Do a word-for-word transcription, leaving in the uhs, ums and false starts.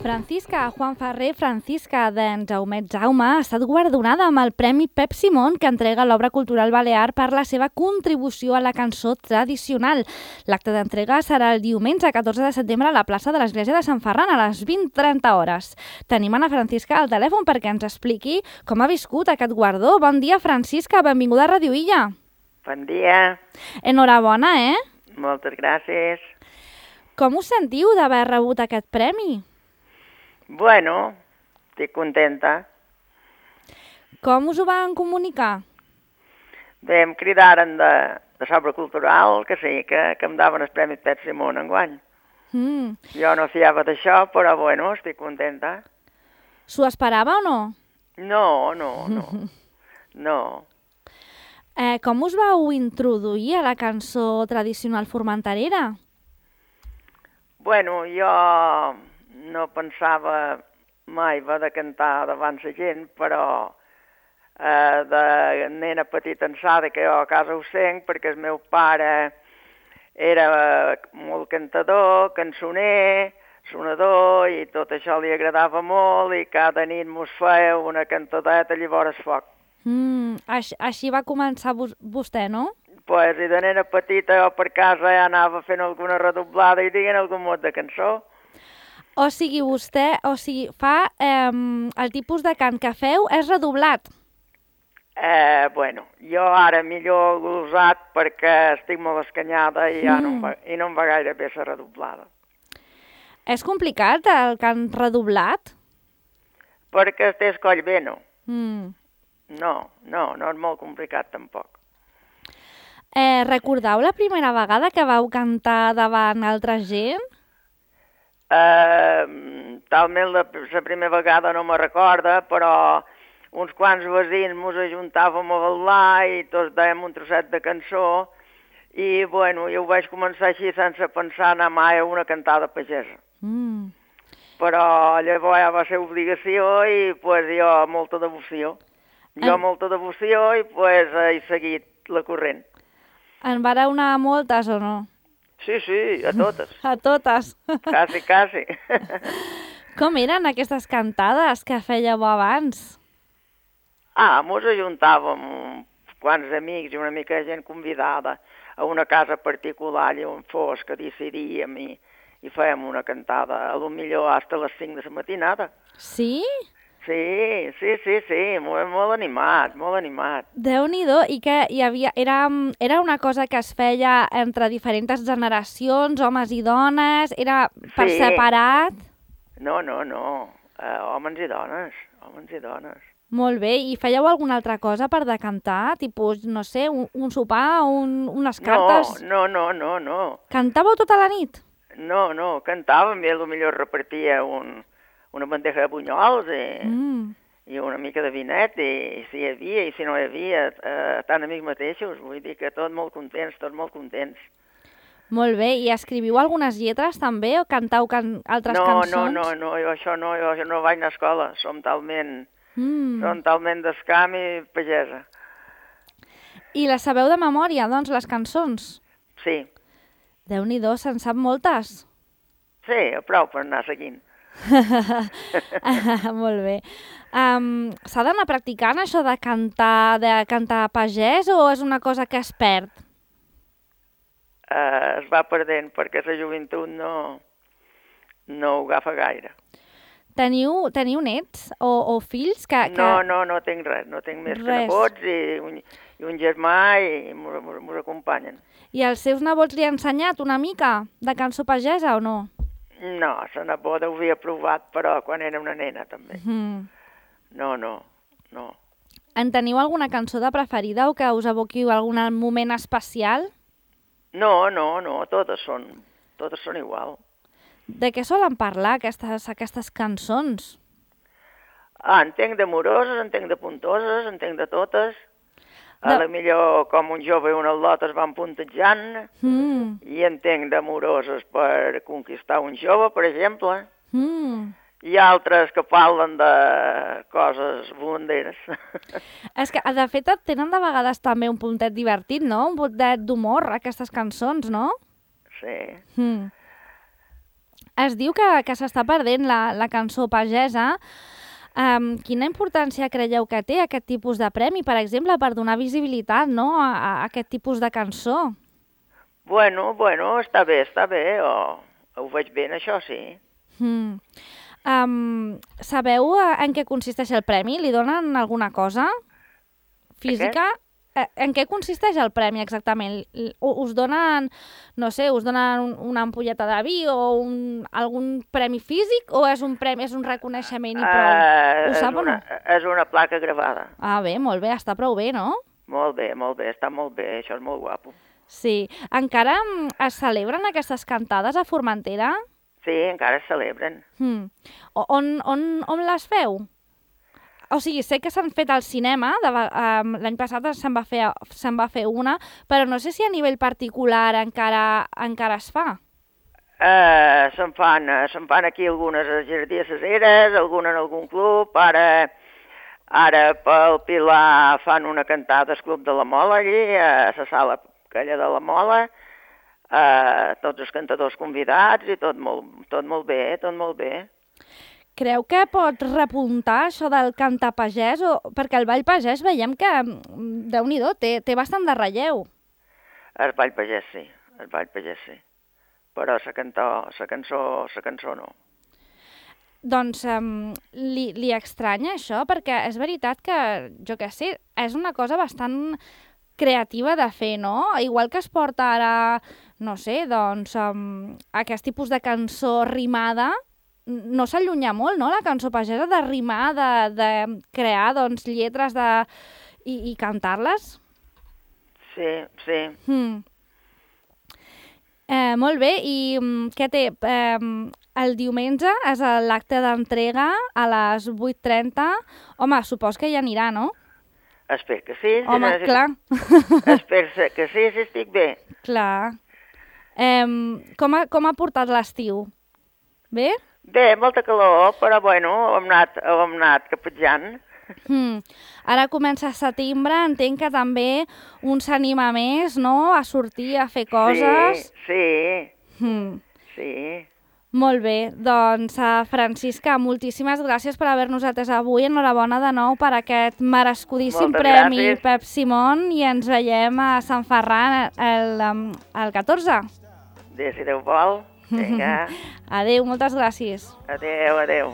Francisca Juan Ferrer Francisca d'en Jaumet Jaume ha estat guardonada amb el Premi Pep Simón que entrega l'obra cultural balear per la seva contribució a la cançó tradicional. L'acte d'entrega serà el diumenge catorze de setembre a la plaça de l'Església de Sant Ferran a les vint trenta hores. Tenim Ana Francisca al telèfon perquè ens expliqui com ha viscut aquest guardó. Bon dia, Francisca, benvinguda a Radio Illa. Bon dia. Enhorabona, eh? Moltes gràcies. Com us sentiu d'haver rebut aquest premi? Bueno, estic contenta. Com us ho van comunicar? Bé, em cridaren de, de Sobra Cultural, que sí, que, que em daven el Premi Pep Simón enguany. Mm. Jo no fiava d'això, però bueno, estic contenta. S'ho esperava o no? No, no, no. No. Eh, com us vau introduir a la cançó tradicional formenterera? Bueno, jo no pensava mai haver de cantar davant la gent, però eh, de nena petita ensada que jo a casa ho sent, perquè el meu pare era molt cantador, cançoner, sonador, i tot això li agradava molt, i cada nit mos feia una cantadeta llavors foc. Mm, així, així va començar vos, vostè, no? Pues, i de nena petita jo per casa ja anava fent alguna redoblada i dient algun mot de cançó. O sigui, vostè, o sigui, fa, eh, el tipus de cant que feu és redoblat. Eh, bueno, jo ara millor glosat perquè estic molt escanyada i, ja mm. no, em va, i no em va gaire bé la redoblada. És complicat el cant redoblat? Perquè té el coll bé, no. Mm. No, no, no és molt complicat tampoc. Eh, recordeu la primera vegada que vau cantar davant altra gent? Uh, talment la, la primera vegada no me recorda, però uns quants veïns mos ajuntàvem a ballar i tots dèiem un trosset de cançó i, bueno, jo ho vaig començar així sense pensar anar mai a una cantada pagesa. Mm. Però llavors ja va ser obligació i, pues, jo molta devoció. Jo en... molta devoció i, pues, he seguit la corrent. En vareu anar a moltes o no? Sí, sí, a totes. A totes. Quasi, quasi. Com eren aquestes cantades que fèieu abans? Ah, mos ajuntàvem uns quants amics i una mica de gent convidada a una casa particular i on fos que decidíem i, i fèiem una cantada, a lo millor fins a les cinc de la matinada. Sí? Sí, sí, sí, sí, molt, molt animat, molt animat. Déu-n'hi-do, i que hi havia, era, era una cosa que es feia entre diferents generacions, homes i dones, era per sí. separat? No, no, no, uh, homes i dones, homes i dones. Molt bé, i fèieu alguna altra cosa per decantar? Tipus, no sé, un, un sopar, un, unes cartes? No, no, no, no, no. Cantàveu tota la nit? No, no, cantàvem i potser repartia un... una bandeja de bunyols i, mm. i una mica de vinet, i si hi havia i si no hi havia, eh, tant amics mateixos, vull dir que tots molt contents, tots molt contents. Molt bé, i escriviu algunes lletres també, o cantau can altres no, cançons? No, no, no, jo això no, jo, jo no vaig anar a escola, som talment, mm. som talment d'escam i pagesa. I les sabeu de memòria, doncs, les cançons? Sí. Déu-n'hi-do, se'n sap moltes? Sí, prou per anar seguint. Molt bé. Um, s'ha d'anar practicant això de cantar, de cantar pagès, o és una cosa que es perd? Uh, es va perdent perquè la joventut no, no ho agafa gaire. Teniu, teniu nets o, o fills? Que, que... No, no, no tinc res. No tinc més res. Que nebots i un, i un germà i m'ho acompanyen. I els seus nebots li ha ensenyat una mica de cançó pagesa o no? No, la neboda ho havia provat, però quan era una nena, també. Mm. No, no, no. En teniu alguna cançó de preferida o que us evoqui algun moment especial? No, no, no, totes són, totes són igual. De què solen parlar aquestes, aquestes cançons? Ah, entenc d'amoroses, entenc de puntoses, entenc de totes. A la millor, com un jove i un al·lot es van puntejant, mm. i entenc d'amoroses per conquistar un jove, per exemple. Mm. Hi ha altres que parlen de coses volanderes. És que, de fet, tenen de vegades també un puntet divertit, no? Un puntet d'humor, aquestes cançons, no? Sí. Mm. Es diu que, que s'està perdent la, la cançó pagesa. Um, quina importància creieu que té aquest tipus de premi, per exemple, per donar visibilitat, no?, a, a aquest tipus de cançó? Bueno, bueno, està bé, està bé, o ho veig bé, això sí. Mm. Um, sabeu en què consisteix el premi? Li donen alguna cosa física? En què consisteix el premi exactament? Us donen, no sé, us donen una ampolleta de vi o un, algun premi físic o és un premi, és un reconeixement i prou? Uh, Ho sap una, o no? És una placa gravada. Ah, bé, molt bé, està prou bé, no? Molt bé, molt bé, està molt bé, això és molt guapo. Sí. Encara es celebren aquestes cantades a Formentera? Sí, encara es celebren. Hmm. On, on, on les feu? O sigui, sé que s'han fet al cinema, um, l'any passat se'n va, fer, se'n va fer una, però no sé si a nivell particular encara, encara es fa. Uh, se'n fan, uh, se'n fan aquí algunes a Jardí de ses Eres, alguna en algun club, ara, ara pel Pilar fan una cantada al Club de la Mola allí, a la sala aquella de la Mola, uh, tots els cantadors convidats i tot molt, tot molt bé, tot molt bé. Creu que pot repuntar això del cantar pagès? O... Perquè el ball pagès veiem que, déu-n'hi-do, té, té bastant de relleu. El ball pagès sí, el ball pagès sí. Però la cançó, la cançó, la cançó no. Doncs um, li, li estranya això? Perquè és veritat que, jo què sé, és una cosa bastant creativa de fer, no? Igual que es porta ara, no sé, doncs, um, aquest tipus de cançó rimada, no s'allunya molt, no?, la cançó pagesa, de rimar, de, de crear, doncs, lletres de... i, i cantar-les. Sí, sí. Mm. Eh, molt bé, i um, què té? Eh, el diumenge és l'acte d'entrega a les vuit trenta. Home, supos que hi anirà, no? Espero que sí. Home, si clar. Espero que sí, si estic bé. Clar. Eh, com, ha, com ha portat l'estiu? Bé? Bé, molta calor, però bueno, hem anat, hem anat caputjant. Mm. Ara comença setembre, entenc que també un s'anima més, no?, a sortir, a fer coses. Sí, sí, mm. sí. Molt bé, doncs, uh, Francisca, moltíssimes gràcies per haver-nos atès avui. Enhorabona de nou per aquest merescudíssim Moltes premi gràcies. Pep Simón i ens veiem a Sant Ferran el, el, el catorze. Bé, si Déu vol. Vinga. Adéu, moltes gràcies. Adéu, adéu.